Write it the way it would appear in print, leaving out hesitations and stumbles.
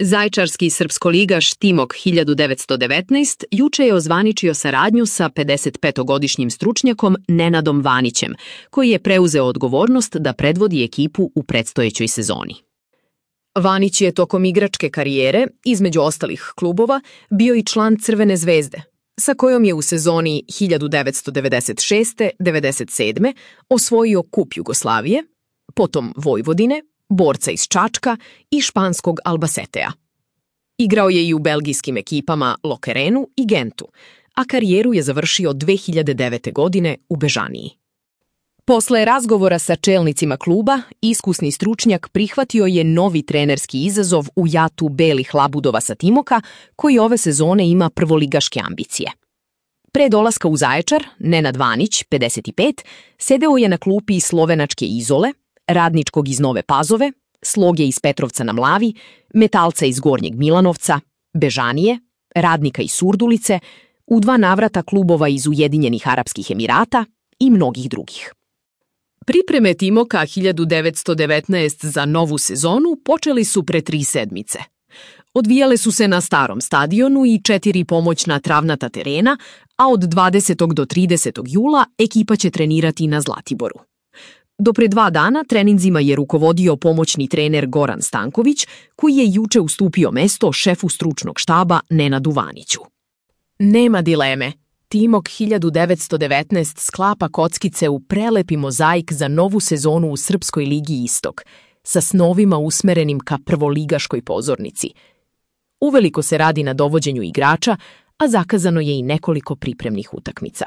Zaječarski srpskoligaš Timok 1919 juče je ozvaničio saradnju sa 55-godišnjim stručnjakom Nenadom Vanićem, koji je preuzeo odgovornost da predvodi ekipu u predstojećoj sezoni. Vanić je tokom igračke karijere, između ostalih klubova, bio i član Crvene zvezde, sa kojom je u sezoni 1996-97 osvojio Kup Jugoslavije, potom Vojvodine, Borca iz Čačka i španskog Albacetea. Igrao je i u belgijskim ekipama Lokerenu i Gentu, a karijeru je završio 2009. godine u Bežaniji. Posle razgovora sa čelnicima kluba, iskusni stručnjak prihvatio je novi trenerski izazov u jatu belih labudova sa Timoka, koji ove sezone ima prvoligaške ambicije. Pre dolaska u Zaječar, Nenad Vanić, 55, sedeo je na klupi slovenačke Izole, Radničkog iz Nove Pazove, Sloge iz Petrovca na Mlavi, Metalca iz Gornjeg Milanovca, Bežanije, Radnika iz Surdulice, u 2 navrata klubova iz Ujedinjenih Arapskih Emirata i mnogih drugih. Pripreme Timoka 1919 za novu sezonu počeli su pre 3 sedmice. Odvijale su se na starom stadionu i 4 pomoćna travnata terena, a od 20. do 30. jula ekipa će trenirati na Zlatiboru. Do pre 2 dana treninzima je rukovodio pomoćni trener Goran Stanković, koji je juče ustupio mesto šefu stručnog štaba Nenadu Vaniću. Nema dileme, Timok 1919 sklapa kockice u prelepi mozaik za novu sezonu u Srpskoj ligi Istok, sa snovima usmerenim ka prvoligaškoj pozornici. Uveliko se radi na dovođenju igrača, a zakazano je i nekoliko pripremnih utakmica.